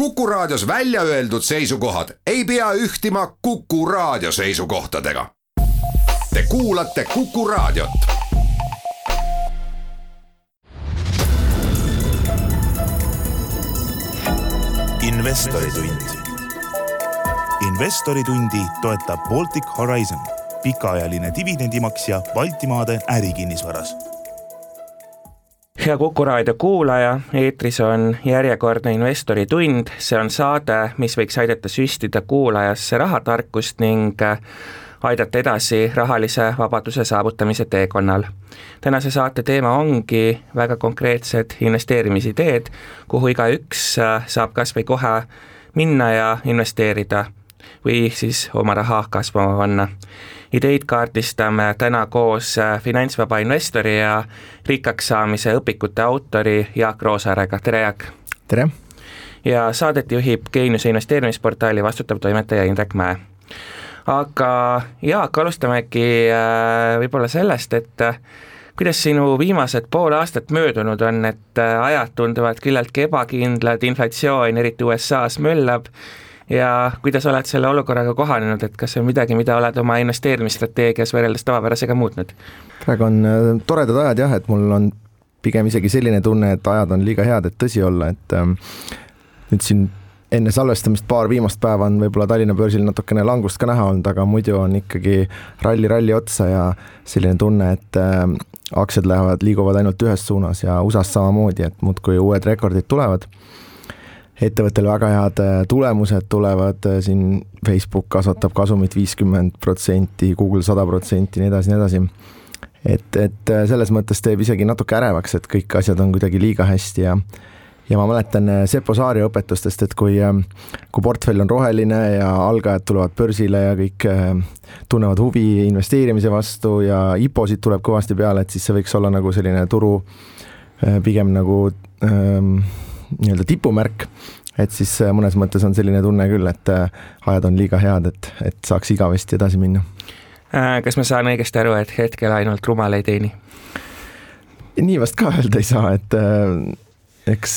Kuku Raadios välja öeldud seisukohad ei pea ühtima Kuku Raadio seisukohtadega. Te kuulate Kuku Raadiot. Investoritund. Investoritundi toetab Baltic Horizon, pikaajaline dividendimaksja Baltimaade ärikinnisvaras. Hea Kuku Raadio kuulaja, eetris on järjekordne Investoritund. See on saade, mis võiks aidata süstida kuulajasse rahatarkust ning aidata edasi rahalise vabaduse saavutamise teekonnal. Tänase saate teema ongi väga konkreetsed investeerimisideed, kuhu igaüks saab kas või kohe minna ja investeerida või siis oma raha kasvama panna. Ideid kaardistame täna koos finantsvaba investori ja rikkaks saamise õpikute autori Jaak Roosaarega. Tere, Jaak! Tere! Ja saadet juhib Geeniuse investeerimisportaali vastutav toimetaja Indrek Mäe. Aga Jaak, alustamegi võib-olla sellest, et kuidas sinu viimased pool aastat möödunud on, et ajad tunduvad küllalt ebakindlad, inflatsioon eriti USA's möllab ja kuidas oled selle olukorraga kohanenud, et kas on midagi, mida oled oma investeerimisstrateegias võrreldes tavapärasega muutnud? Praegu on toredad ajad jah, et mul on pigem isegi selline tunne, et ajad on liiga head, et tõsi olla, et nüüd siin enne salvestamist paar viimast päeva on võib-olla Tallinna börsil natukene langust ka näha olnud, aga muidu on ikkagi ralli otsa ja selline tunne, et aktsiad liiguvad ainult ühes suunas ja USA's samamoodi, et muudkui uued rekordid tulevad. Ettevõttel väga head tulemused tulevad, siin Facebook kasvatab kasumit 50%, Google 100%, nii edasi. Et selles mõttes teeb isegi natuke ärevaks, et kõik asjad on kuidagi liiga hästi ja ma mäletan Seppo Saari õpetustest, et kui portfell on roheline ja algajad tulevad börsile ja kõik tunnevad huvi investeerimise vastu ja IPO-sid tuleb kõvasti peale, et siis see võiks olla nagu selline turu pigem nagu nii-öelda tipumärk, et siis mõnes mõttes on selline tunne küll, et ajad on liiga head, et saaks igavesti edasi minna. Kas ma saan õigesti aru, et hetkel ainult rumal ei teeni? Nii vast ka öelda ei saa, et eks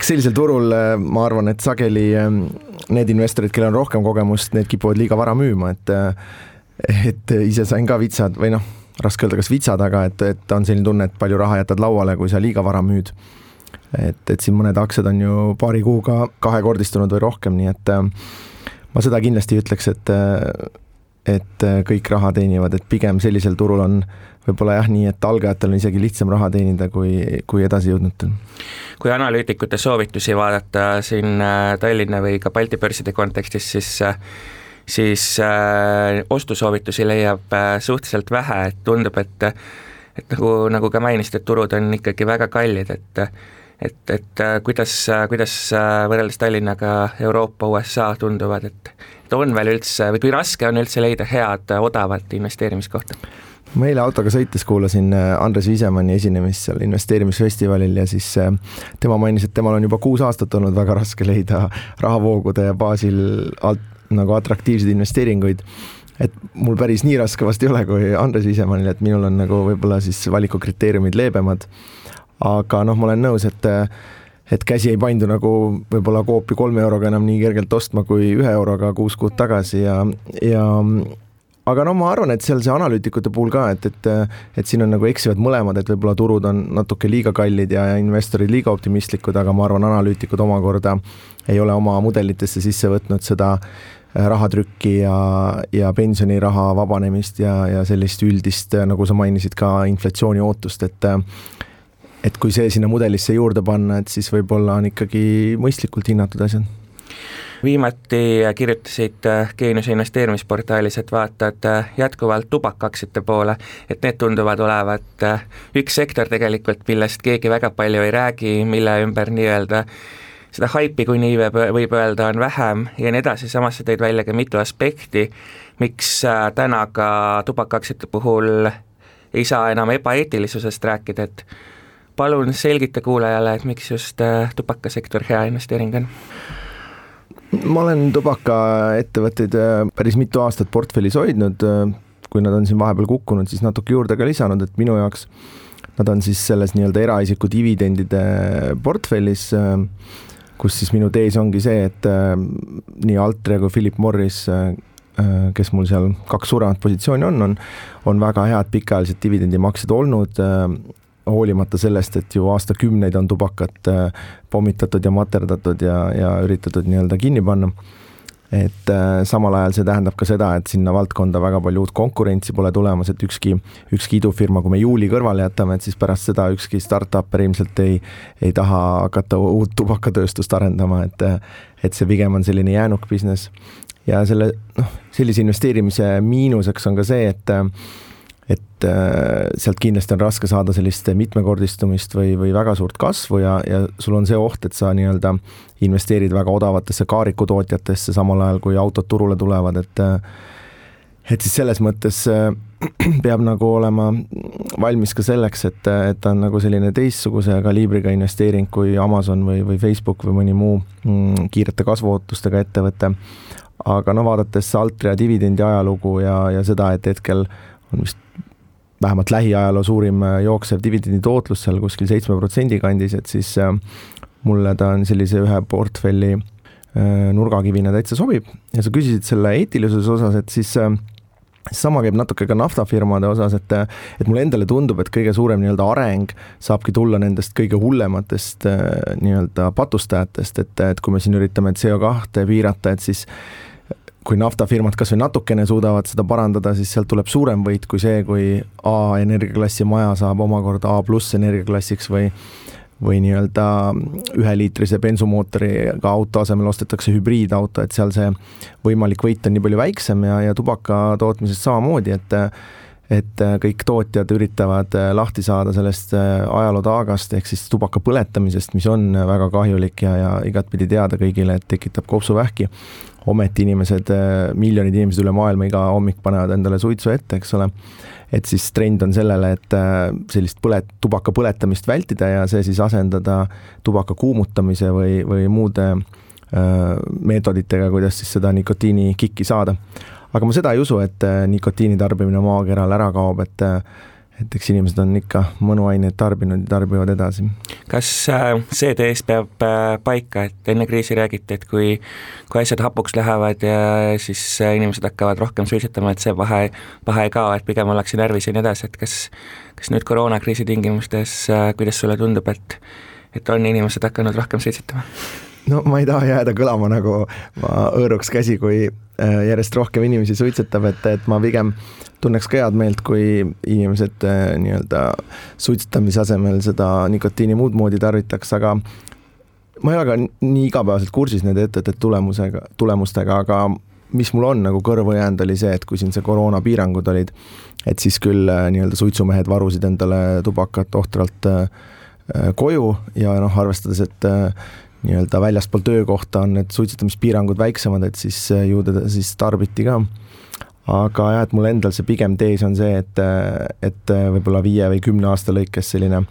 sellisel turul ma arvan, et sageli need investorid, kellel on rohkem kogemust, need kipuvad liiga vara müüma, et ise sain ka vitsad või raske öelda kas vitsad, aga et on selline tunne, et palju raha jätad lauale, kui sa liiga vara müüd. Et siin mõned aktsiad on ju paari kuuga kahekordistunud või rohkem, nii et ma seda kindlasti ütleks, et kõik raha teenivad, et pigem sellisel turul on võib-olla jah nii, et algajatel on isegi lihtsam raha teenida kui edasi jõudnutel. Kui analüütikute soovitusi vaadata siin Tallinna või ka Balti börside kontekstis, siis ostusoovitusi leiab suhteliselt vähe, et tundub, et nagu ka mainisid, et turud on ikkagi väga kallid, et kuidas võrreldes Tallinnaga Euroopa, USA tunduvad, et on veel üldse, või kui raske on üldse leida head, odavat investeerimiskohta? Ma eile autoga sõites kuulasin Andres Viisemanni esinemist seal investeerimisfestivalil ja siis tema mainis, et temal on juba 6 aastat olnud väga raske leida rahavoogude baasil nagu atraktiivseid investeeringuid. Et mul päris nii raske vast ei ole kui Andres Viisemannil, et minul on nagu võib-olla siis valikukriteeriumid leebemad. Aga ma olen nõus, et käsi ei paindu nagu võib-olla koopi 3 euroga enam nii kergelt ostma kui 1 euroga 6 kuud tagasi aga ma arvan, et seal see analüütikute puhul ka, et siin on nagu eksivad mõlemad, et võib-olla turud on natuke liiga kallid ja investorid liiga optimistlikud, aga ma arvan, analüütikud omakorda ei ole oma mudelitesse sisse võtnud seda rahatrükki ja pensioniraha vabanemist ja sellist üldist, nagu sa mainisid ka inflatsiooni ootust, et kui see sinna mudelisse juurde panna, et siis võib-olla on ikkagi mõistlikult hinnatud asjad. Viimati kirjutasid Geeniuse investeerimisportaalis, et vaatad jätkuvalt tubakaaktsiate poole, et need tunduvad olevat üks sektor tegelikult, millest keegi väga palju ei räägi, mille ümber nii-öelda seda haipi, kui nii võib öelda, on vähem ja nii edasi. Samas sa tõid välja ka mitu aspekti, miks täna ka tubakaaktsiate puhul ei saa enam ebaeetilisusest rääkida, et palun selgita kuulajale, et miks just tubakasektor hea investeering on? Ma olen tubakaettevõtteid päris mitu aastat portfellis hoidnud, kui nad on siin vahepeal kukkunud, siis natuke juurde ka lisanud, et minu jaoks nad on siis selles nii-öelda eraisiku dividendide portfellis, kus siis minu tees ongi see, et nii Altria kui Philip Morris, kes mul seal 2 suuremat positsiooni on väga head pikaajalised dividendimaksed olnud, hoolimata sellest, et ju aastakümneid on tubakat pommitatud ja materdatud ja üritatud nii-öelda kinni panna. Et samal ajal see tähendab ka seda, et sinna valdkonda väga palju uut konkurentsi pole tulemas, et ükski idufirma, kui me juuli kõrvale jätame, et siis pärast seda ükski startup ilmselt ei taha hakata uut tubakatööstust arendama, et see pigem on selline jäänuk business. Ja sellise investeerimise miinuseks on ka see, et sealt kindlasti on raske saada sellist mitmekordistumist või väga suurt kasvu ja sul on see oht, et sa nii-öelda investeerid väga odavatesse kaarikutootjatesse samal ajal, kui autod turule tulevad, et siis selles mõttes peab nagu olema valmis ka selleks, et ta on nagu selline teistsuguse kaliibriga investeering kui Amazon või Facebook või mõni muu kiirete kasvuootustega ettevõte. Aga vaadates Altria dividendi ajalugu ja seda, et hetkel on vist vähemalt lähiajaloo suurim jooksev dividendi tootlus seal kuskil 7% kandis, et siis mulle ta on sellise ühe portfelli nurgakivina täitsa sobib. Ja sa küsisid selle eetilisuses osas, et siis sama käib natuke ka naftafirmade osas, et mulle endale tundub, et kõige suurem nii-öelda areng saabki tulla nendest kõige hullematest nii-öelda patustajatest, et kui me siin üritame CO2 piirata, et siis kui naftafirmad kas või natukene suudavad seda parandada, siis sealt tuleb suurem võit kui see, kui A energiaklassi maja saab omakorda A+ energiaklassiks või nii-öelda 1-liitrise bensumootoriga auto asemel ostetakse hübriidauto, et seal see võimalik võit on nii palju väiksem ja tubaka tootmisest samamoodi, et kõik tootjad üritavad lahti saada sellest ajalootaagast ehk siis tubaka põletamisest, mis on väga kahjulik ja igatpidi teada kõigile, et tekitab kopsuvähki. Ometi miljonid inimesed üle maailma iga hommik panevad endale suitsu ette, eks ole. Et siis trend on sellele, et sellist tubaka põletamist vältida ja see siis asendada tubaka kuumutamise või muude meetoditega, kuidas siis seda nikotiini kikki saada. Aga ma seda ei usu, et nikotiini tarbimine maakeral ära kaob, et eks inimesed on ikka mõnuaineid tarbinud ja tarbivad edasi. Kas see tees peab paika, et enne kriisi räägiti, et kui asjad hapuks lähevad ja siis inimesed hakkavad rohkem suitsetama, et see vahe ei kao, et pigem ollakse närvis ja nii edasi, et kas nüüd koroonakriisi tingimustes, kuidas sulle tundub, et on inimesed hakanud rohkem suitsetama? No ma ei taha jääda kõlama nagu ma õõruks käsi, kui järjest rohkem inimesi suitsetab, et ma pigem tunneks ka head meelt, kui inimesed nii-öelda suitsetamise asemel seda nikotiini muud moodi tarvitaks, aga ma ei ole ka nii igapäevaselt kursis nende ettevõtete tulemustega, aga mis mul on nagu kõrvu jäänud oli see, et kui siin see koroonapiirangud olid, et siis küll nii-öelda suitsumehed varusid endale tubakat ohtralt koju ja arvestades, et nii-öelda väljaspool töökohta on need suitsetamispiirangud väiksemad, et siis ju teda siis tarbiti ka. Aga jah, et mul endal see pigem tees on see, et võib-olla 5 või 10 aasta lõikes selline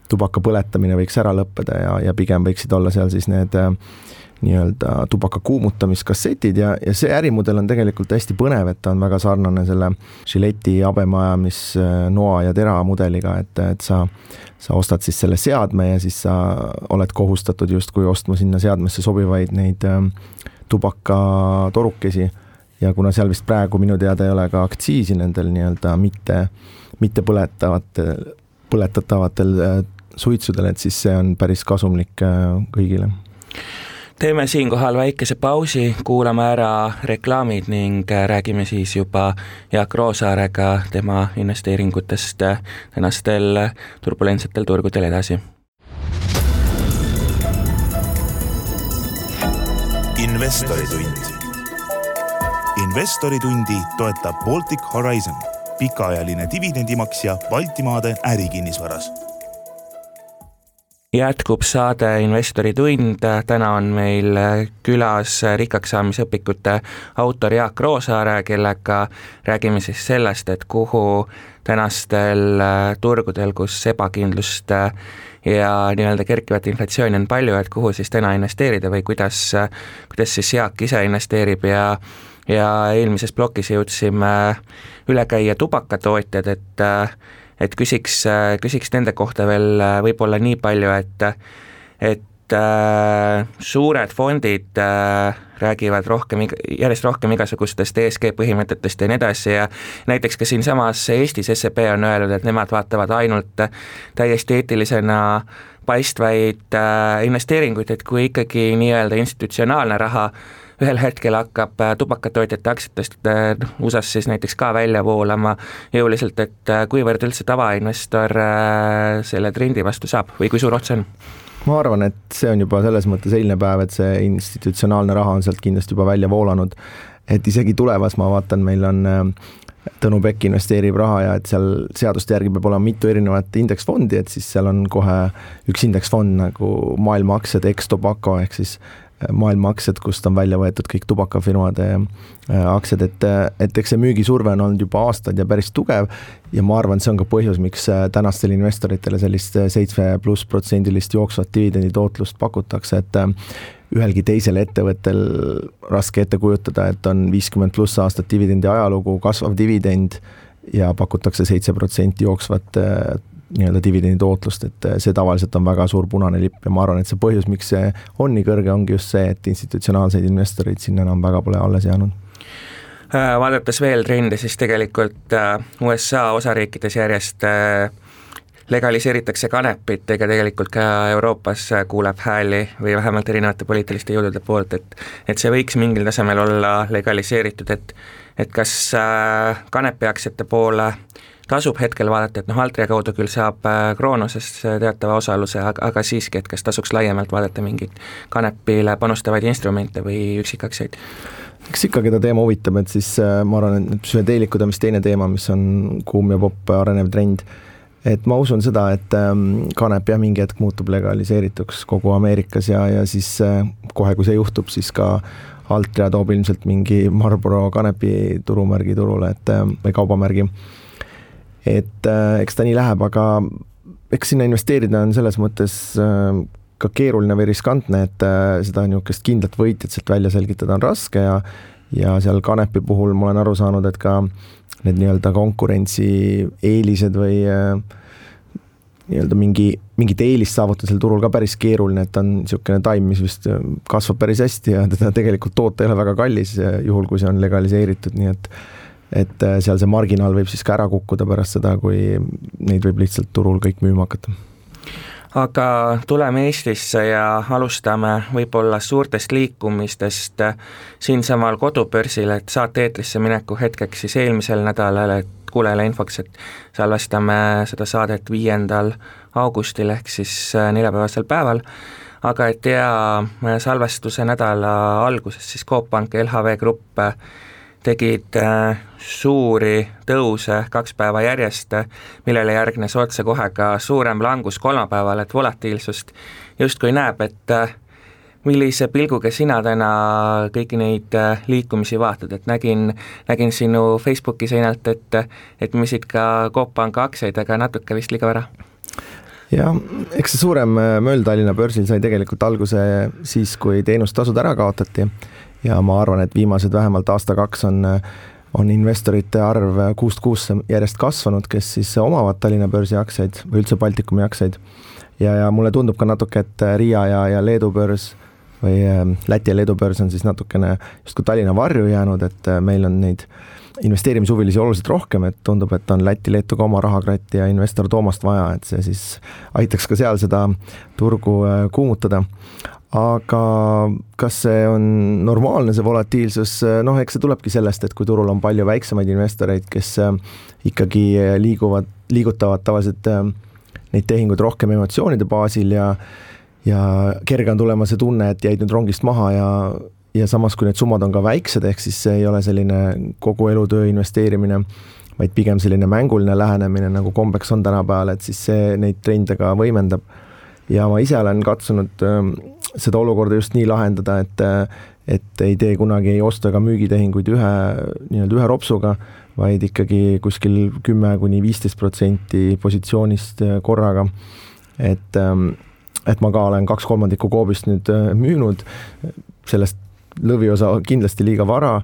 tubaka põletamine võiks ära lõppeda ja pigem võiksid olla seal siis need nii-öelda tubaka kuumutamiskassetid ja see ärimudel on tegelikult hästi põnev, et ta on väga sarnane selle Gilletti habemaajamis noa ja tera mudeliga, et sa ostad siis selle seadme ja siis sa oled kohustatud justkui ostma sinna seadmesse sobivaid neid tubakatorukesi ja kuna seal vist praegu minu teada ei ole ka aktsiisi nendel nii-öelda mitte põletatavatel suitsudel, et siis see on päris kasumlik kõigile. Teeme siinkohal väikese pausi, kuulame ära reklaamid ning räägime siis juba Jaak Roosaarega tema investeeringutest tänastel turbulentsetel turgudel edasi. Investoritund. Investoritundi toetab Baltic Horizon, pikaajaline dividendimaksja Baltimaade ärikinnisvaras. Jätkub saade Investoritund, täna on meil külas rikkaks saamisõpikute autor Jaak Roosaare, kellega räägime siis sellest, et kuhu tänastel turgudel, kus ebakindlust ja nii-öelda kerkivat inflatsiooni on palju, et kuhu siis täna investeerida või kuidas siis Jaak ise investeerib ja eelmises plokis jõudsime üle käia tubakatootjad, et küsiks nende kohta veel võib-olla nii palju, et suured fondid räägivad järjest rohkem igasugustest ESG põhimõtetest ja nii edasi ja näiteks ka siinsamas Eestis SEB on öelnud, et nemad vaatavad ainult täiesti eetilisena paistvaid investeeringuid, et kui ikkagi nii-öelda institutsionaalne raha ühel hetkel hakkab tubakatootjate aktsiatest USAs siis näiteks ka välja voolama jõuliselt, et kuivõrd üldse tavainvestor selle trendi vastu saab või kui suur ots on? Ma arvan, et see on juba selles mõttes eilne päev, et see institutsionaalne raha on sealt kindlasti juba välja voolanud, et isegi tulevas ma vaatan, meil on Tõnu Pekk investeerib raha ja et seal seaduste järgi peab olema mitu erinevat indeksfondi, et siis seal on kohe üks indeksfond nagu maailma aktsiad ex-tobacco ehk siis maailma aktsiad, kust on välja võetud kõik tubakafirmade aktsiad, et eks see müügisurve on olnud juba aastaid ja päris tugev ja ma arvan, see on ka põhjus, miks tänastel investoritele sellist 7+% jooksvat dividendi tootlust pakutakse, et ühelgi teisel ettevõttel raske ette kujutada, et on 50+ aastat dividendi ajalugu, kasvav dividend ja pakutakse 7% jooksvat nii-öelda dividendi tootlust, et see tavaliselt on väga suur punane lipp ja ma arvan, et see põhjus, miks see on nii kõrge, ongi just see, et institutsionaalseid investoreid sinna enam väga pole alles jäänud. Vaadates veel trendi, siis tegelikult USA osariikides järjest legaliseeritakse kanepit, ega tegelikult ka Euroopas kuuleb hääli või vähemalt erinevate poliitiliste jõudude poolt, et see võiks mingil tasemel olla legaliseeritud, et kas kanepiaktsiate poole tasub hetkel vaadata, et Altria kaudu küll saab Kroonusest teatava osaluse, aga siiski, et kas tasuks laiemalt vaadata mingit kanepile panustavaid instrumente või üksikaktsiaid? Eks ikka, keda teema huvitab, et siis ma arvan, et süveteelikud on vist teine teema, mis on kuum ja popp arenev trend. Et ma usun seda, et kanep ja mingi hetk muutub legaliseerituks kogu Ameerikas ja siis kohe, kui see juhtub, siis ka Altria toob ilmselt mingi Marlboro kanepi turumärgi turule, või kaubamärgi. Et eks ta nii läheb, aga eks sinna investeerida on selles mõttes ka keeruline või riskantne, et seda niisugust kindlat võitjat sealt välja selgitada on raske ja seal kanepi puhul ma olen aru saanud, et ka need nii-öelda konkurentsi eelised või nii-öelda mingit eelist saavutada seal turul ka päris keeruline, et on niisugune taim, mis vist kasvab päris hästi ja teda tegelikult toota ei ole väga kallis, juhul kui see on legaliseeritud, nii et seal see marginaal võib siis ka ära kukkuda pärast seda, kui neid võib lihtsalt turul kõik müüma hakata. Aga tuleme Eestisse ja alustame võib-olla suurtest liikumistest siinsamal kodubörsil, et saate eetrisse mineku hetkeks siis eelmisel nädalal, et kuulele infoks, et salvestame seda saadet 5. augustil ehk siis neljapäevasel päeval, aga et salvestuse nädala alguses siis Coop Pank ja LHV Grupp tegid suuri tõuse 2 päeva järjest, millele järgnes otse kohe ka suurem langus kolmapäeval, et volatiilsust justkui näeb, et millise pilguga sina täna kõiki neid liikumisi vaatad, et nägin sinu Facebooki seinalt, et müüsid ka Coop Panga aktsiaid, aga natuke vist liiga vara. Ja eks see suurem möll Tallinna börsil sai tegelikult alguse siis, kui teenustasud ära kaotati ja ma arvan, et viimased vähemalt aasta-2 on investorite arv kuust kuusse järjest kasvanud, kes siis omavad Tallinna börsi aktsiaid või üldse Baltikumi aktsiaid ja mulle tundub ka natuke, et Riia ja Leedu börs või Läti ja Leedu börs on siis natukene justkui Tallinna varju jäänud, et meil on neid investeerimishuvilisi oluliselt rohkem, et tundub, et on Läti-Leetu ka oma rahakratti ja investor Toomast vaja, et see siis aitaks ka seal seda turgu kuumutada. Aga kas see on normaalne, see volatiilsus? Eks see tulebki sellest, et kui turul on palju väiksemaid investoreid, kes ikkagi liigutavad tavaliselt neid tehinguid rohkem emotsioonide baasil ja kerge on tulema see tunne, et jäid nüüd rongist maha ja samas, kui need summad on ka väiksed, ehk siis see ei ole selline kogu elutöö investeerimine, vaid pigem selline mänguline lähenemine, nagu kombeks on tänapäeval, et siis see neid trende ka võimendab. Ja ma ise olen katsunud seda olukorda just nii lahendada, et ei tee kunagi ei ostu ega müügitehinguid ühe ropsuga, vaid ikkagi kuskil 10–15% positsioonist korraga. Et ma ka olen 2/3 Coopist nüüd müünud, sellest lõviosa kindlasti liiga vara,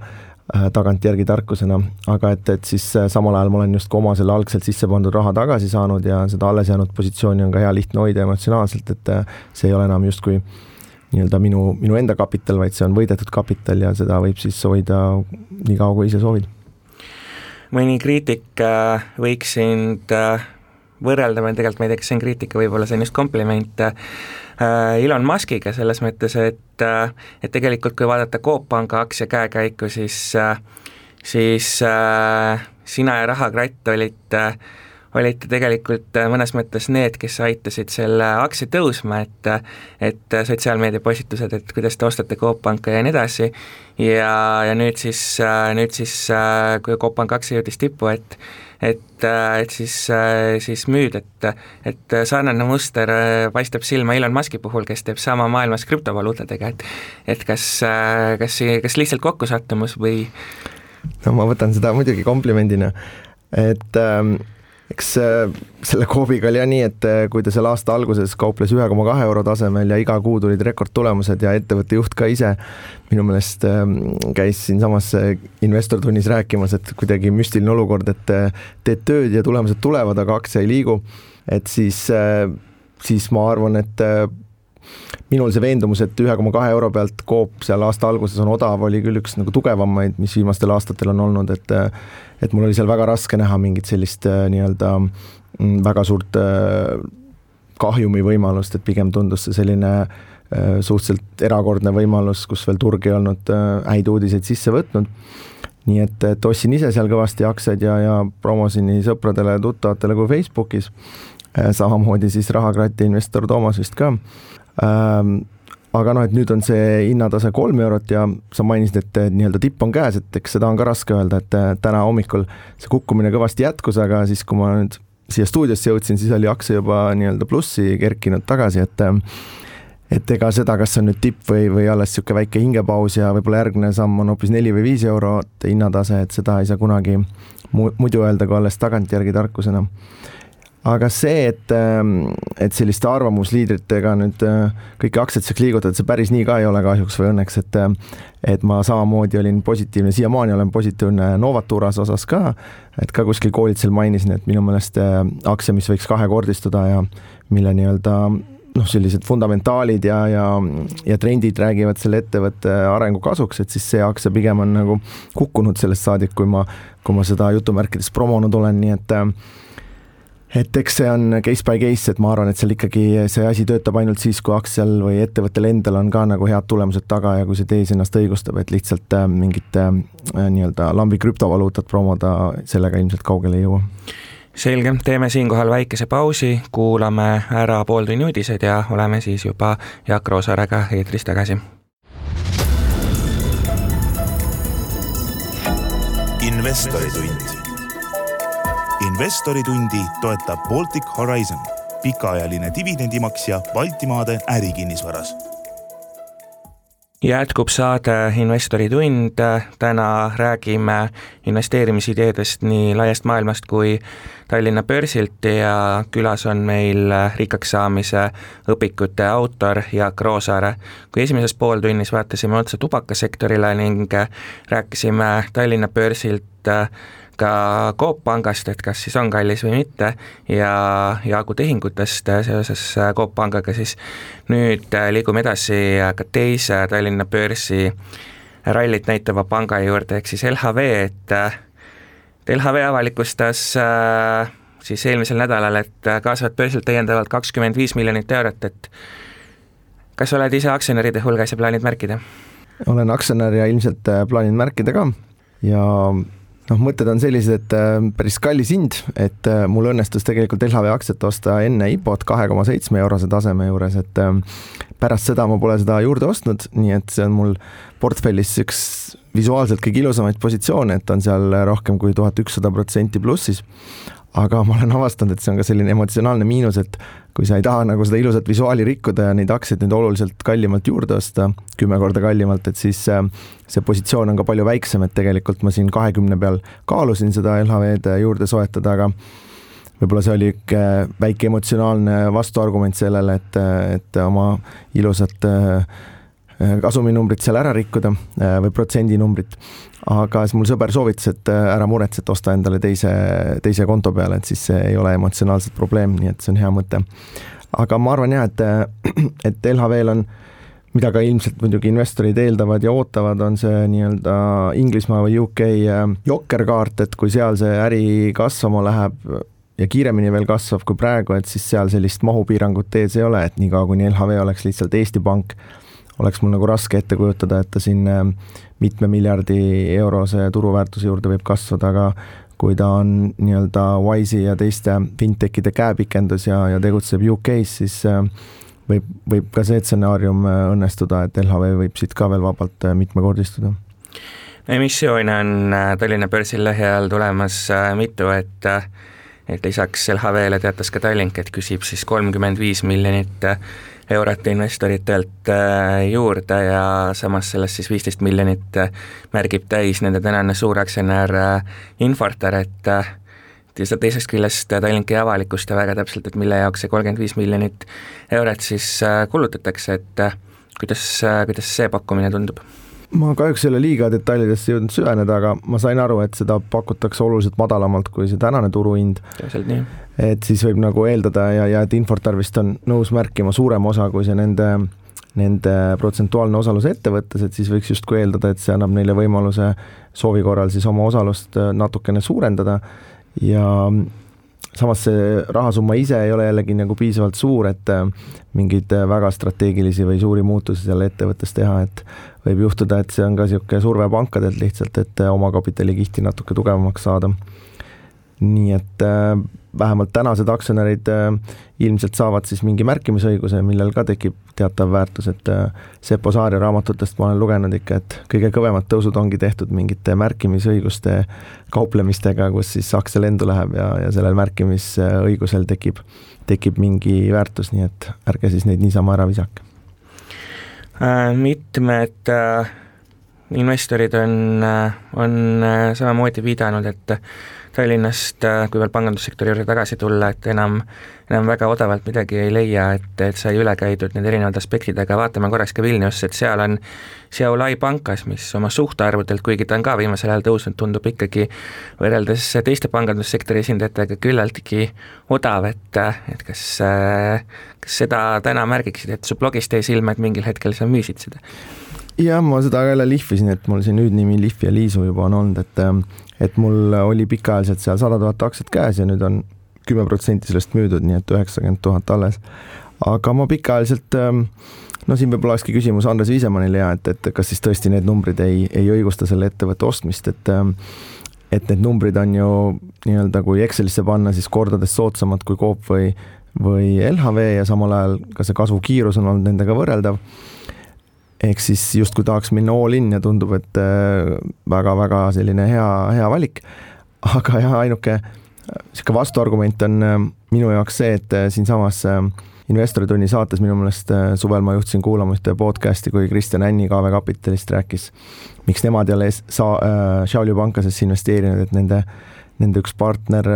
tagantjärgi tarkusena, aga et siis samal ajal ma olen just oma selle algselt sisse pandud raha tagasi saanud ja seda alles jäänud positsiooni on ka hea lihtne hoida emotsionaalselt, et see ei ole enam justkui nii-öelda minu enda kapital, vaid see on võidetud kapital ja seda võib siis hoida nii kaua, kui ise soovid. Mõni kriitik võiks sind võrrelda, tegelikult ma ei tea, kas see on kriitika, võib-olla see on just kompliment Elon Muskiga selles mõttes, et tegelikult kui vaadata Coop Panga aktsia käekäiku, siis sina ja Rahakratt olite tegelikult mõnes mõttes need, kes aitasid selle aktsia tõusma, et sotsiaalmeedia postitused, et kuidas te ostate Coop Panka ja nii edasi ja nüüd siis kui Coop Panka aktsia jõudis tippu, et siis müüd, et sarnane muster paistab silma Elon Muski puhul, kes teeb sama maailmas krüptovaluutadega, et kas lihtsalt kokkusattumus või? No ma võtan seda muidugi komplimendina, et eks selle Coopiga oli nii, et kui ta selle aasta alguses kauples 1,2 euro tasemel ja iga kuu tulid rekordtulemused ja ettevõtte juht ka ise minu meelest käis siin samas investortunnis rääkimas, et kuidagi müstiline olukord, et teed tööd ja tulemused tulevad, aga aktsia ei liigu, et siis ma arvan, et minul see veendumus, et 1,2 euro pealt Coop seal aasta alguses on odav, oli küll üks nagu tugevamaid, mis viimastel aastatel on olnud, et mul oli seal väga raske näha mingit sellist nii-öelda väga suurt kahjumi võimalust, et pigem tundus see selline suhteliselt erakordne võimalus, kus veel turg ei olnud häid uudiseid sisse võtnud. Nii et ostsin ise seal kõvasti aktsiaid ja promosin nii sõpradele ja tuttavatele kui Facebookis. Samamoodi siis Rahakratti investor Toomas vist ka. Aga et nüüd on see hinnatase 3 eurot ja sa mainisid, et nii-öelda tipp on käes, et eks seda on ka raske öelda, et täna hommikul see kukkumine kõvasti jätkus, aga siis kui ma nüüd siia stuudiosse jõudsin, siis oli aktsia juba nii-öelda plussi kerkinud tagasi, et ega seda, kas see on nüüd tipp või alles siuke väike hingepaus ja võib-olla järgmine samm on hoopis 4 või 5 eurot hinnatase, et seda ei saa kunagi muidu öelda, kui alles tagantjärgi tarkusena. Aga see, et selliste arvamusliidritega nüüd kõiki aktsiatseks liigutada, see päris nii ka ei ole kahjuks või õnneks, et ma samamoodi olin positiivne, siiamaani olen positiivne Novaturas osas ka, et ka kuskil koolitsel mainisin, et minu meelest aktsia, mis võiks kahekordistuda ja mille nii-öelda sellised fundamentaalid ja trendid räägivad selle ettevõtte arengu kasuks, et siis see aktsia pigem on nagu kukkunud sellest saadik, kui ma seda jutumärkides promonud olen, nii et eks see on case by case, et ma arvan, et seal ikkagi see asi töötab ainult siis, kui aktsial või ettevõttel endal on ka nagu head tulemused taga ja kui see tees ennast õigustab, et lihtsalt mingit nii-öelda lambi krüptovaluutat promoda, sellega ilmselt kaugele ei jõua. Selge, teeme siinkohal väikese pausi, kuulame ära pooltunni uudised ja oleme siis juba Jaak Roosaarega eetris tagasi. Investoritund. Investoritundi toetab Baltic Horizon, pikaajaline dividendimaksja Baltimaade ärikinnisvaras. Jätkub saade Investoritund, täna räägime investeerimisideedest nii laiast maailmast kui Tallinna börsilt ja külas on meil rikkaks saamise õpikute autor Jaak Roosaare. Kui esimeses pooltunnis vaatasime otsa tubakasektorile ning rääkisime Tallinna börsilt ka Coop Pangast, et kas siis on kallis või mitte ja Jaagu tehingutest seoses Coop Pangaga, siis nüüd liigume edasi ka teise Tallinna börsi rallit näitava panga juurde, ehk siis LHV, et LHV avalikustas siis eelmisel nädalal, et kaasavad börsilt täiendavalt 25 miljonit eurot, et kas oled ise aktsionäride hulgas ja plaanid märkida? Olen aktsionär ja ilmselt plaanin märkida ka ja mõtted on sellised, et päris kallis hind, et mul õnnestus tegelikult LHV aktsiat osta enne IPO-t 2,7 eurose taseme juures, et pärast seda ma pole seda juurde ostnud, nii et see on mul portfellis üks visuaalselt kõige ilusamaid positsioone, et on seal rohkem kui 1100% plussis. Aga ma olen avastanud, et see on ka selline emotsionaalne miinus, et kui sa ei taha nagu seda ilusat visuaali rikkuda ja neid aktsiaid nüüd oluliselt kallimalt juurde osta, 10 korda kallimalt, et siis see positsioon on ka palju väiksem, et tegelikult ma siin 20 peal kaalusin seda LHV-d juurde soetada, aga võib-olla see oli väike emotsionaalne vastuargument sellele, et oma ilusat kasuminumbrit seal ära rikkuda või protsendinumbrit, aga siis mul sõber soovitas, et ära muretse, et osta endale teise konto peale, et siis see ei ole emotsionaalselt probleem, nii et see on hea mõte. Aga ma arvan jah, et LHV-l on, mida ka ilmselt muidugi investorid eeldavad ja ootavad, on see nii-öelda Inglismaa või UK jokkerkaart, et kui seal see äri kasvama läheb ja kiiremini veel kasvab kui praegu, et siis seal sellist mahupiirangut ees ei ole, et niikaua kuni LHV oleks lihtsalt Eesti Pank, oleks mul nagu raske ette kujutada, et ta siin mitme miljardi eurose turuväärtuse juurde võib kasvada, aga kui ta on nii-öelda Wise'i ja teiste fintechide käepikendus ja tegutseb UK-s, siis võib ka see stsenaarium õnnestuda, et LHV võib siit ka veel vabalt mitmekordistuda. Emissioone on Tallinna börsil lähiajal tulemas mitu, et lisaks LHV-le teatas ka Tallink, et küsib siis 35 miljonit eurot investoritelt juurde ja samas sellest siis 15 miljonit märgib täis nende tänane suuraktsionär Infortar, et teisest küljest Tallink ei avalikusta väga täpselt, et mille jaoks see 35 miljonit eurot siis kulutatakse, et kuidas see pakkumine tundub? Ma kahjuks ei ole liiga detailidesse jõudnud süveneda, aga ma sain aru, et seda pakutakse oluliselt madalamalt kui see tänane turuhind. Et siis võib nagu eeldada ja et Infortar vist on nõus märkima suurem osa kui see nende protsentuaalne osalus ettevõttes, et siis võiks justkui eeldada, et see annab neile võimaluse soovi korral siis oma osalust natukene suurendada ja samas see rahasumma ise ei ole jällegi nagu piisavalt suur, et mingeid väga strateegilisi või suuri muutusi selle ettevõttes teha, et võib juhtuda, et see on ka niisugune surve pankadelt lihtsalt, et oma kapitali kihti natuke tugevamaks saada. Nii et vähemalt tänased aktsionärid ilmselt saavad siis mingi märkimisõiguse, millel ka tekib teatav väärtus, et Seppo Saari raamatutest ma olen lugenud ikka, et kõige kõvemad tõusud ongi tehtud mingite märkimisõiguste kauplemistega, kus siis aktsia lendu läheb ja sellel märkimisõigusel tekib mingi väärtus, nii et ärge siis neid niisama ära visake. Mitmed investorid on samamoodi viidanud, et Tallinnast, kui veel pangandussektori juurde tagasi tulla, et enam väga odavalt midagi ei leia, et sai üle käidud need erinevad aspektid, aga vaatame korraks ka Vilniusse, et seal on Šiauliai pankas, mis oma suhtarvudelt, kuigi ta on ka viimasel ajal tõusnud, tundub ikkagi võrreldes teiste pangandussektori esindajatega küllaltki odav, et kas seda täna märgiksid, et su blogist jäi silma, et mingil hetkel sa müüsid seda? Ja ma seda jälle lihvisin, et mul siin nüüd nimi Lihv ja Liisu juba on olnud, et mul oli pikaajaliselt seal 100 000 aktsiat käes ja nüüd on 10% sellest müüdud, nii et 90 000 alles. Aga ma pikaajaliselt, siin võib-olla olekski küsimus Andres Viisemannile et kas siis tõesti need numbrid ei õigusta selle ettevõtte ostmist, et need numbrid on ju nii-öelda kui Excelisse panna siis kordades soodsamad kui Coop või LHV ja samal ajal ka see kasvukiirus on olnud nendega võrreldav. Ehk siis justkui tahaks minna all in ja tundub, et väga-väga selline hea valik. Aga jah, ainuke vastuargument on minu jaoks see, et siin samas Investoritunni saates minu meelest suvel ma juhtisin kuulama ühte podcasti, kui Kristjan Änni KV Kapitalist rääkis, miks nemad jälle Šiauliai pankasesse investeerinud, et nende üks partner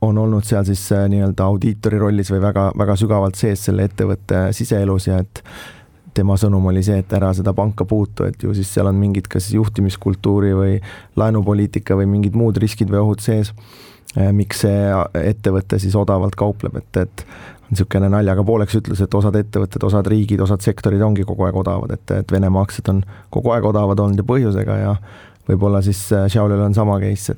on olnud seal siis nii-öelda audiitori rollis või väga, väga sügavalt sees selle ettevõtte siseelus ja et tema sõnum oli see, et ära seda panka puutu, et ju siis seal on mingid kas juhtimiskultuuri või laenupoliitika või mingid muud riskid või ohud sees, miks see ettevõte siis odavalt kaupleb, et on niisugune naljaga pooleks ütlus, et osad ettevõtted, osad riigid, osad sektorid ongi kogu aeg odavad, et Venemaa aktsiad on kogu aeg odavad olnud ja põhjusega ja võib-olla siis Šiauliail on sama case,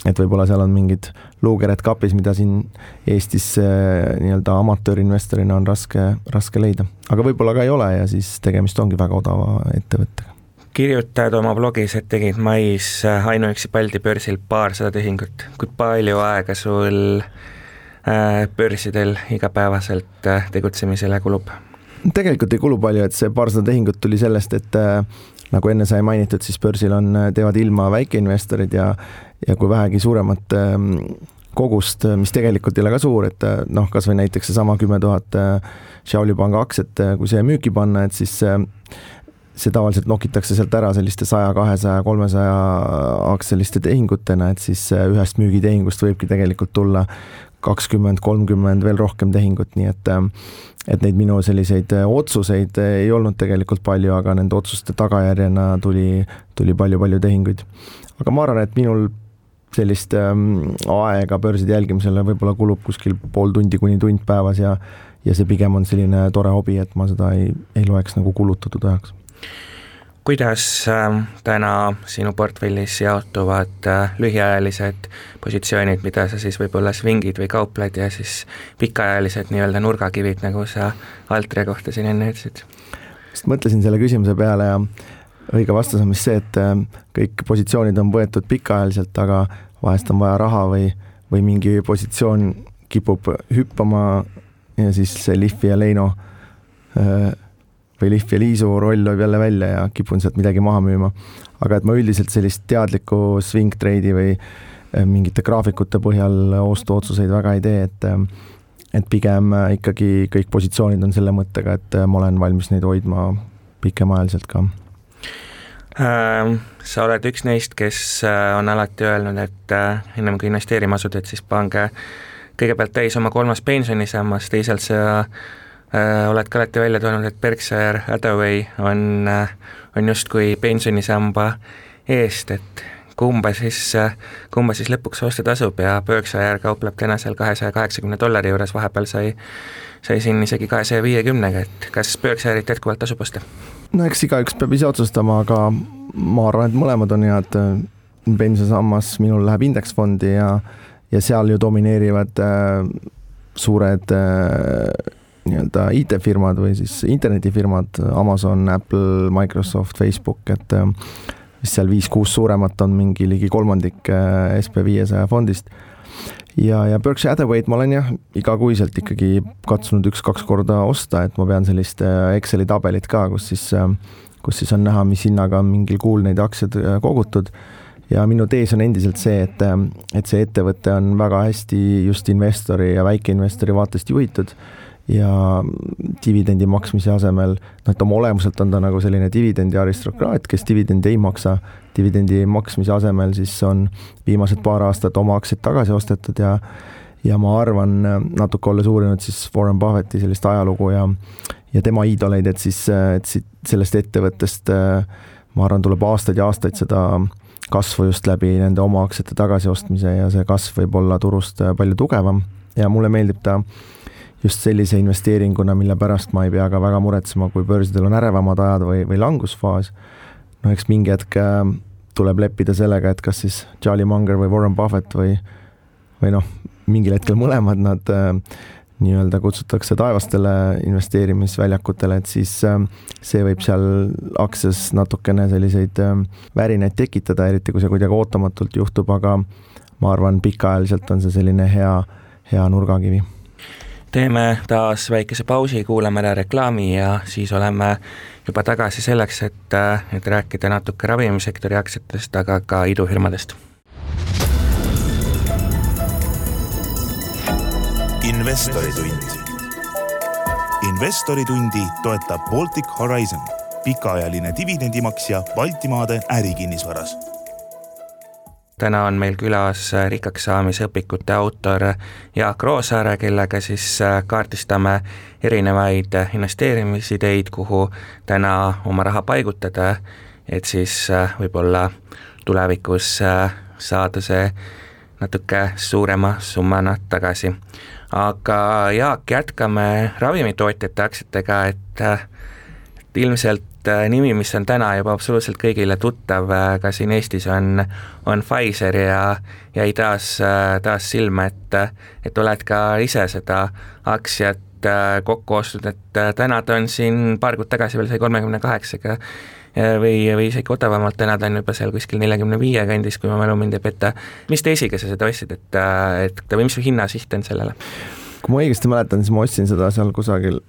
et võib-olla seal on mingid luukered kapis, mida siin Eestis nii-öelda amatöörinvestorina on raske leida. Aga võib-olla ka ei ole ja siis tegemist ongi väga odava ettevõttega. Kirjutad oma blogis, et tegid mais ainuüksi Balti börsil 200 tehingut. Kui palju aega sul börsidel igapäevaselt tegutsemisele kulub? Tegelikult ei kulu palju, et see 200 tehingut tuli sellest, et nagu enne sai mainitud, siis börsil teevad ilma väikeinvestorid ja kui vähegi suuremat kogust, mis tegelikult ei ole ka suur, et kas või näiteks see sama 10 000 Šiauliai panga aktsiat, kui see müüki panna, et siis see tavaliselt nokitakse sealt ära selliste 100, 200, 300 aktsialiste tehingutena, et siis ühest müügitehingust võibki tegelikult tulla 20-30 veel rohkem tehingut, nii et neid minu selliseid otsuseid ei olnud tegelikult palju, aga nende otsuste tagajärjena tuli palju tehinguid. Aga ma arvan, et minul sellist aega börside jälgimisele võib-olla kulub kuskil pool tundi kuni tund päevas ja see pigem on selline tore hobi, et ma seda ei loeks nagu kulutatud ajaks. Kuidas täna sinu portfellis jaotuvad lühiajalised positsioonid, mida sa siis võib-olla svingid või kaupled ja siis pikaajalised nii-öelda nurgakivid, nagu sa Altria kohta siin enne ütlesid? Mõtlesin selle küsimuse peale ja õige vastus on vist see, et kõik positsioonid on võetud pikaajaliselt, aga vahest on vaja raha või mingi positsioon kipub hüppama ja siis see Lihvi ja Leino või Lihvi ja Liisu roll võib jälle välja ja kipun sealt midagi maha müüma. Aga et ma üldiselt sellist teadlikku swing trade'i või mingite graafikute põhjal ostuotsuseid väga ei tee, et pigem ikkagi kõik positsioonid on selle mõttega, et ma olen valmis neid hoidma pikemaajaliselt ka. Sa oled üks neist, kes on alati öelnud, et ennem kui investeerima asud, et siis pange kõigepealt täis oma 3. pensionisammas, teisalt sa oled ka alati välja toonud, et Berkshire Hathaway on justkui pensionisamba eest, et kumba siis lõpuks osta tasub ja Berkshire kaupleb täna seal $280 juures, vahepeal sai siin isegi 250, et kas Berkshire'it jätkuvalt tasub osta? No eks igaüks peab ise otsustama, aga ma arvan, et mõlemad on head. Pensionisammas minul läheb indeksfondi ja seal ju domineerivad suured nii-öelda IT-firmad või siis internetifirmad, Amazon, Apple, Microsoft, Facebook, et seal 5-6 suuremat on mingi ligi kolmandik SP500 fondist. Ja Berkshire Hathaway'd ma olen igakuiselt ikkagi katsunud 1-2 korda osta, et ma pean sellist Exceli tabelit ka, kus siis on näha, mis hinnaga on mingil kuul neid aktsiad kogutud. Ja minu tees on endiselt see, et see ettevõte on väga hästi just investori ja väikeinvestori vaatest juhitud ja dividendi maksmise asemel, et oma olemuselt on ta nagu selline dividendi aristokraat, kes dividendi ei maksa. Dividendi maksmise asemel siis on viimased paar aastat oma aktsiad tagasi ostetud ja ma arvan, natuke olles uurinud siis Warren Buffetti sellist ajalugu ja tema iidoleid, et sellest ettevõttest ma arvan, tuleb aastaid ja aastaid seda kasvu just läbi nende oma aktsiate tagasiostmise ja see kasv võib olla turust palju tugevam ja mulle meeldib ta just sellise investeeringuna, mille pärast ma ei pea ka väga muretsema, kui börsidel on ärevamad ajad või langusfaas. No eks mingi hetk tuleb leppida sellega, et kas siis Charlie Munger või Warren Buffett või mingil hetkel mõlemad nad nii-öelda kutsutakse taevastele investeerimisväljakutele, et siis see võib seal aktsias natukene selliseid värinaid tekitada, eriti kui see kuidagi ootamatult juhtub, aga ma arvan, pikaajaliselt on see selline hea nurgakivi. Teeme taas väikese pausi, kuulame ära reklaami ja siis oleme juba tagasi selleks, et rääkida natuke ravimisektori aktsiatest, aga ka idufirmadest. Investoritund. Investoritundi toetab Baltic Horizon, pikaajaline dividendimaksja Baltimaade ärikinnisvaras. Täna on meil külas rikkaks saamise õpikute autor Jaak Roosaare, kellega siis kaardistame erinevaid investeerimisideid, kuhu täna oma raha paigutada, et siis võib-olla tulevikus saada see natuke suurema summana tagasi. Aga Jaak, jätkame ravimitootjate aktsiatega, et ilmselt nimi, mis on täna juba absoluutselt kõigile tuttav, ka siin Eestis on Pfizer ja jäi taas silma, et oled ka ise seda aktsiat kokku ostnud, et täna ta on siin paar kuud tagasi veel sai 38-ga või isegi odavamalt, täna ta on juba seal kuskil 45 kandis, kui ma mälu mind ei peta. Mis teisiga sa seda ostsid, või mis hinnasiht on sellele? Kui ma õigesti mäletan, siis ma ostsin seda seal kusagil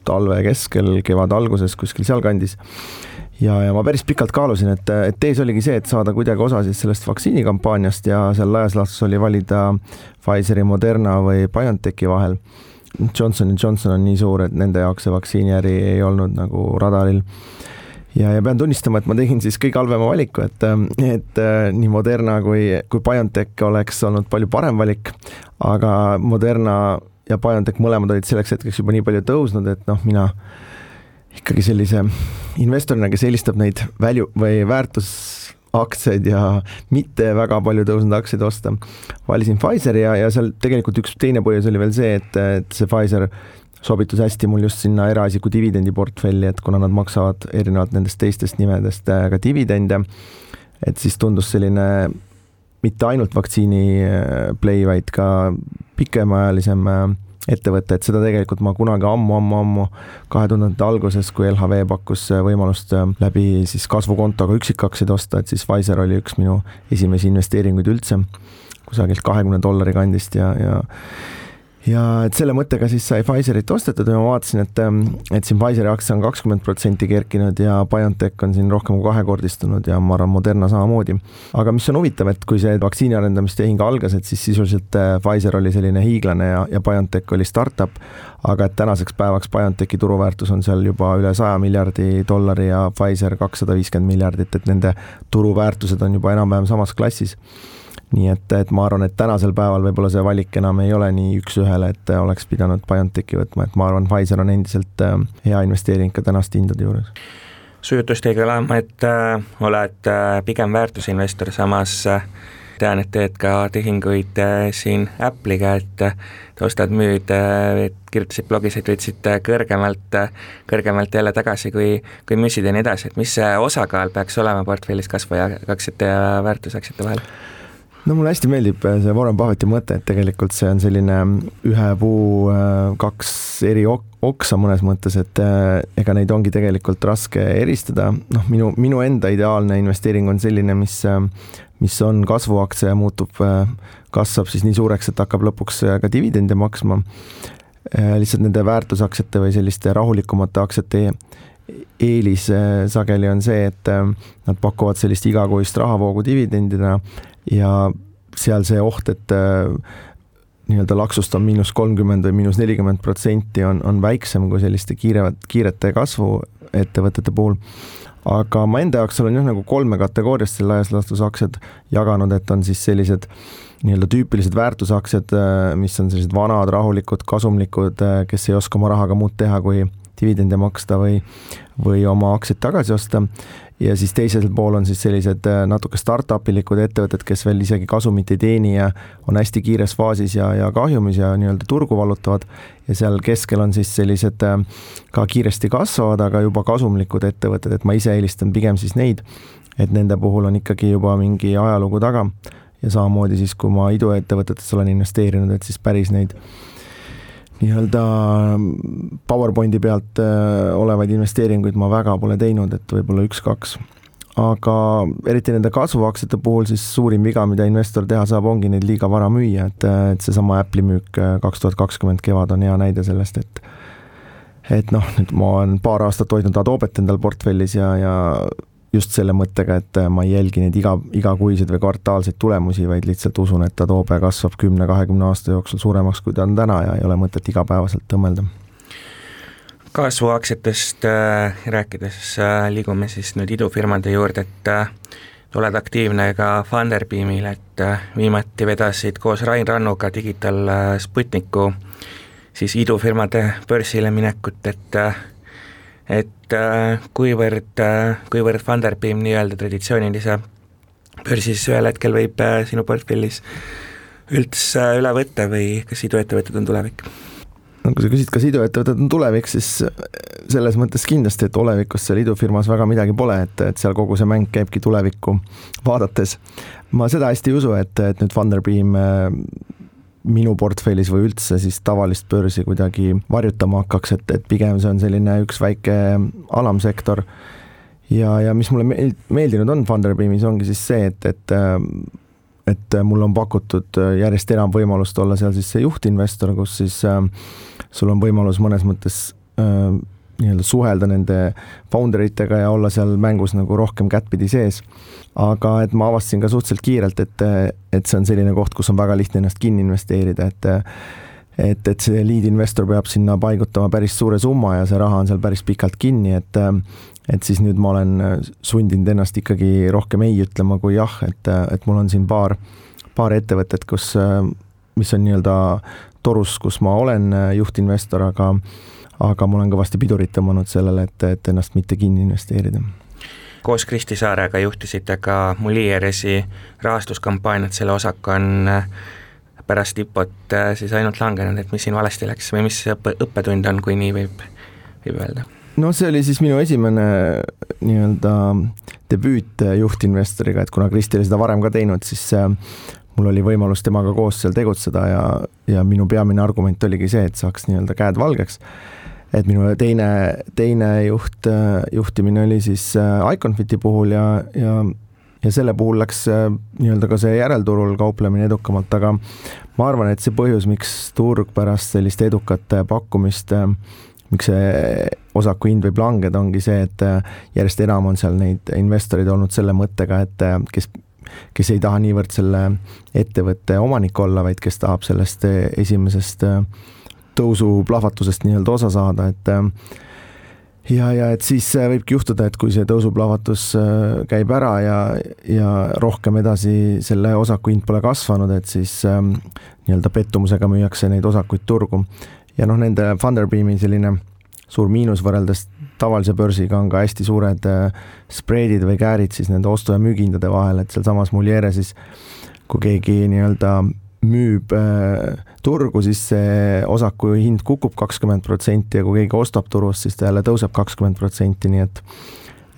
talve keskel, kevad alguses kuskil seal kandis ja ma päris pikalt kaalusin, et tees oligi see, et saada kuidagi osa siis sellest vaktsiinikampaaniast ja seal laias laastus oli valida Pfizeri, Moderna või BioNTechi vahel. Johnson & Johnson on nii suur, et nende jaoks see vaktsiiniäri ei olnud nagu radaril ja pean tunnistama, et ma tegin siis kõige halvema valiku, et nii Moderna kui BioNTech oleks olnud palju parem valik, aga Moderna ja BioNTech mõlemad olid selleks hetkeks juba nii palju tõusnud, et mina ikkagi sellise investorina, kes eelistab neid väärtusaktsiaid ja mitte väga palju tõusnud aktsiaid osta, valisin Pfizeri ja seal tegelikult üks teine põhjus oli veel see, et see Pfizer sobitus hästi mul just sinna eraisiku dividendiportfelli, et kuna nad maksavad erinevalt nendest teistest nimedest ka dividende, et siis tundus selline mitte ainult vaktsiini play, vaid ka pikemaajalisem ettevõte, et seda tegelikult ma kunagi ammu 2000 alguses, kui LHV pakkus võimalust läbi siis kasvukontoga üksikaktsiaid osta, et siis Pfizer oli üks minu esimesi investeeringuid üldse, kusagilt $20 kandist ja et selle mõttega siis sai Pfizerit ostetud ja ma vaatasin, et siin Pfizeri aktsia on 20% kerkinud ja BioNTech on siin rohkem kui kahekordistunud ja ma arvan Moderna samamoodi. Aga mis on huvitav, et kui see vaktsiini arendamistehing algas, et siis sisuliselt Pfizer oli selline hiiglane ja BioNTech oli startup, aga et tänaseks päevaks BioNTechi turuväärtus on seal juba üle $100 miljardi ja Pfizer $250 miljardit, et nende turuväärtused on juba enam-vähem samas klassis. Nii et ma arvan, et tänasel päeval võib-olla see valik enam ei ole nii üks ühele, et oleks pidanud BioNTechi võtma, et ma arvan, Pfizer on endiselt hea investeering ka tänaste hindade juures. Su jutust ei kõlama, et oled pigem väärtusinvestor, samas tean, et teed ka tehinguid siin Apple'iga, et ostad müüd, kirjutasid blogis, et võtsid kõrgemalt jälle tagasi, kui müüsid ja nii edasi, et mis see osakaal peaks olema portfellis kasvuaktsiate ja väärtusaktsiate vahel? No mulle hästi meeldib see Warren Buffetti mõte, et tegelikult see on selline ühe puu kaks eri oksa mõnes mõttes, et ega neid ongi tegelikult raske eristada. Minu enda ideaalne investeering on selline, mis on kasvuaktsia ja kasvab siis nii suureks, et hakkab lõpuks ka dividende maksma. Lihtsalt nende väärtusaktsiate või selliste rahulikumate aktsiate eelis sageli on see, et nad pakuvad sellist igakuist rahavoogu dividendina ja seal see oht, et nii-öelda laksust on -30% või -40% on väiksem kui selliste kiirete kasvu ettevõtete puhul. Aga ma enda jaoks olen nagu 3 kategooriast laias laastus aktsiad jaganud, et on siis sellised nii-öelda tüüpilised väärtusaktsiad, mis on sellised vanad, rahulikud, kasumlikud, kes ei oska oma rahaga muud teha kui dividende maksta või oma aktsiaid tagasi osta. Ja siis teisel pool on siis sellised natuke startupilikud ettevõtted, kes veel isegi kasumit ei teeni ja on hästi kiires faasis ja kahjumis ja nii-öelda turgu vallutavad. Ja seal keskel on siis sellised ka kiiresti kasvavad, aga juba kasumlikud ettevõtted, et ma ise eelistan pigem siis neid, et nende puhul on ikkagi juba mingi ajalugu taga. Ja samamoodi siis, kui ma iduettevõtetes olen investeerinud, et siis päris neid nii-öelda PowerPointi pealt olevaid investeeringuid ma väga pole teinud, et võib-olla 1-2. Aga eriti nende kasvuaktsiate puhul siis suurim viga, mida investor teha saab, ongi neid liiga vara müüa, et see sama Apple'i müük 2020 kevad on hea näide sellest, et nüüd ma olen paar aastat hoidnud Adobet endal portfellis ja just selle mõttega, et ma ei jälgi neid igakuiseid või kvartaalseid tulemusi, vaid lihtsalt usun, et Adobe kasvab 10-20 aasta jooksul suuremaks, kui ta on täna ja ei ole mõtet igapäevaselt tõmmelda. Kasvuaktsiatest rääkides liigume siis nüüd idufirmade juurde, et oled aktiivne ka Funderbeamil, et viimati vedasid koos Rain Rannuga Digital Sputniku siis idufirmade börsile minekut, et kuivõrd Funderbeam nii-öelda traditsioonilise börsis ühel hetkel võib sinu portfellis üldse üle võtta või kas iduettevõtted on tulevik? Kui sa küsid, kas iduettevõtted on tulevik, siis selles mõttes kindlasti, et olevikus seal idufirmas väga midagi pole, et seal kogu see mäng käibki tulevikku vaadates. Ma seda hästi ei usu, et nüüd Funderbeam minu portfellis või üldse siis tavalist börsi kuidagi varjutama hakkaks, et pigem see on selline üks väike alamsektor ja mis mulle meeldinud on Funderbeamis ongi siis see, et mul on pakutud järjest enam võimalust olla seal siis see juhtinvestor, kus siis sul on võimalus mõnes mõttes nii-öelda suhelda nende founderitega ja olla seal mängus nagu rohkem kättpidi sees. Aga et ma avastasin ka suhteliselt kiirelt, et see on selline koht, kus on väga lihtne ennast kinni investeerida, et see lead investor peab sinna paigutama päris suure summa ja see raha on seal päris pikalt kinni, et siis nüüd ma olen sundinud ennast ikkagi rohkem ei ütlema kui jah, et mul on siin paar ettevõtet, mis on nii-öelda torus, kus ma olen juhtinvestor, aga ma olen kõvasti pidurit tõmmanud sellele, et ennast mitte kinni investeerida. Koos Kristi Saarega juhtisite ka Mulieresi rahastuskampaaniat, selle osak on pärast IPO-t siis ainult langenud, et mis siin valesti läks või mis õppetund on, kui nii võib öelda? No see oli siis minu esimene nii-öelda debüüt juhtinvestoriga, et kuna Kristi oli seda varem ka teinud, siis mul oli võimalus temaga koos seal tegutseda ja minu peamine argument oligi see, et saaks nii-öelda käed valgeks. Et minu teine juhtimine oli siis Iconfiti puhul ja selle puhul läks nii-öelda ka see järelturul kauplemine edukamalt, aga ma arvan, et see põhjus, miks turg pärast sellist edukat pakkumist, miks see osaku hind võib langeda, ongi see, et järjest enam on seal neid investorid olnud selle mõttega, et kes ei taha niivõrd selle ettevõtte omanik olla, vaid kes tahab sellest esimesest tõusuplahvatusest nii-öelda osa saada, et siis võibki juhtuda, et kui see tõusuplahvatus käib ära ja rohkem edasi selle osaku hind pole kasvanud, et siis nii-öelda pettumusega müüakse neid osakuid turgu. Ja nende Funderbeami selline suur miinus võrreldes tavalise börsiga on ka hästi suured spreadid või käärid siis nende ostu- ja müügihindade vahel, et seal samas Muliere siis, kui keegi nii-öelda müüb turgu, siis see osaku hind kukub 20% ja kui keegi ostab turust, siis ta jälle tõuseb 20%, nii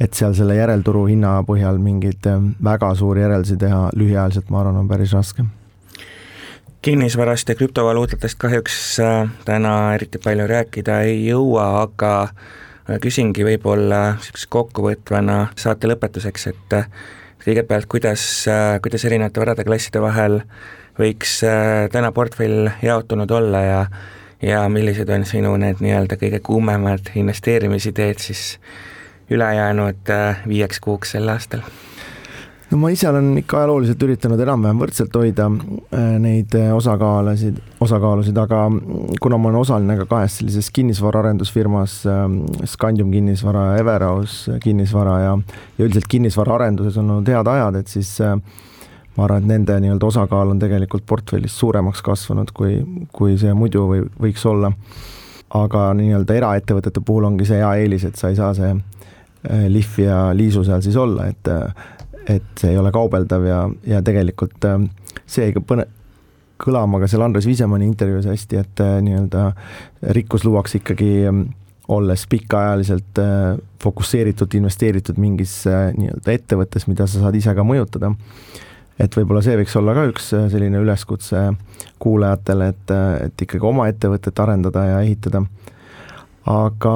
et seal selle järelturu hinna põhjal mingid väga suuri järeldusi teha lühiajaliselt, ma arvan, on päris raske. Kinnisvarast ja krüptovaluutatest kahjuks täna eriti palju rääkida ei jõua, aga küsingi võib-olla kokkuvõtvana saate lõpetuseks, et kõigepealt, kuidas erinevate varade klasside vahel võiks täna portfell jaotunud olla ja millised on sinu need nii-öelda kõige kuumemad investeerimisideed siis ülejäänud 5 kuuks sel aastal? No ma ise olen ikka ajalooliselt üritanud enam-vähem võrdselt hoida neid osakaalusid, aga kuna ma olen osaline ka 2 sellises kinnisvaraarendusfirmas, Scandium kinnisvara, Everhouse kinnisvara ja üldiselt kinnisvaraarenduses on olnud head ajad, et siis ma arvan, et nende nii-öelda osakaal on tegelikult portfellis suuremaks kasvanud, kui see muidu võiks olla. Aga nii-öelda eraettevõtete puhul ongi see hea eelis, et sa ei saa see lihv ja liisu seal siis olla, et see ei ole kaubeldav ja tegelikult see ei kõlama ka seal Andres Viisemanni intervjuus hästi, et nii-öelda rikkus luuakse ikkagi olles pikaajaliselt fokusseeritud, investeeritud mingis nii-öelda ettevõttes, mida sa saad ise ka mõjutada. Et võib-olla see võiks olla ka üks selline üleskutse kuulajatele, et ikkagi oma ettevõtet arendada ja ehitada. Aga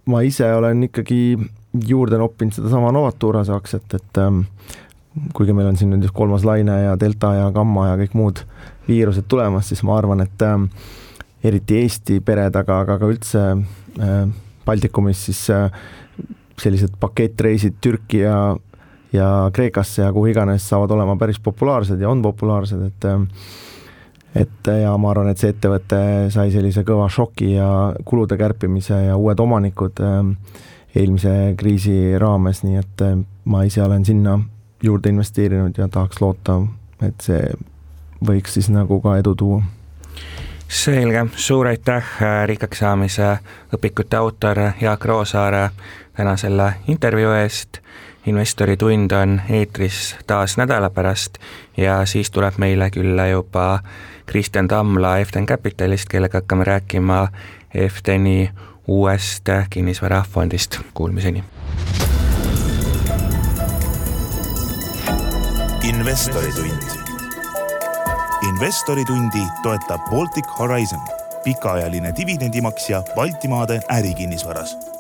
ma ise olen ikkagi juurde noppinud seda sama Novaturase aktsiat, et kuigi meil on siin nüüd 3. laine ja delta ja gamma ja kõik muud viirused tulemas, siis ma arvan, et eriti Eesti pered, aga ka üldse Baltikumis siis sellised pakettreisid Türki ja Kreekasse ja kuhu iganes saavad olema päris populaarsed ja on populaarsed, et ja ma arvan, et see ettevõte sai sellise kõva šoki ja kulude kärpimise ja uued omanikud eelmise kriisi raames, nii et ma ise olen sinna juurde investeerinud ja tahaks loota, et see võiks siis nagu ka edu tuua. Selge, suur aitäh rikkaks saamise õpikute autor Jaak Roosaare täna selle intervjuu eest. Investori tund on eetris taas nädala pärast ja siis tuleb meile külla juba Kristjan Tamla FTN Capitalist, kellega hakkame rääkima FTNi uuest kinnisvarafondist. Kuulmiseni. Investoritund. Investoritundi toetab Baltic Horizon, pikaajaline dividendimaksja Baltimaade ärikinnisvaras.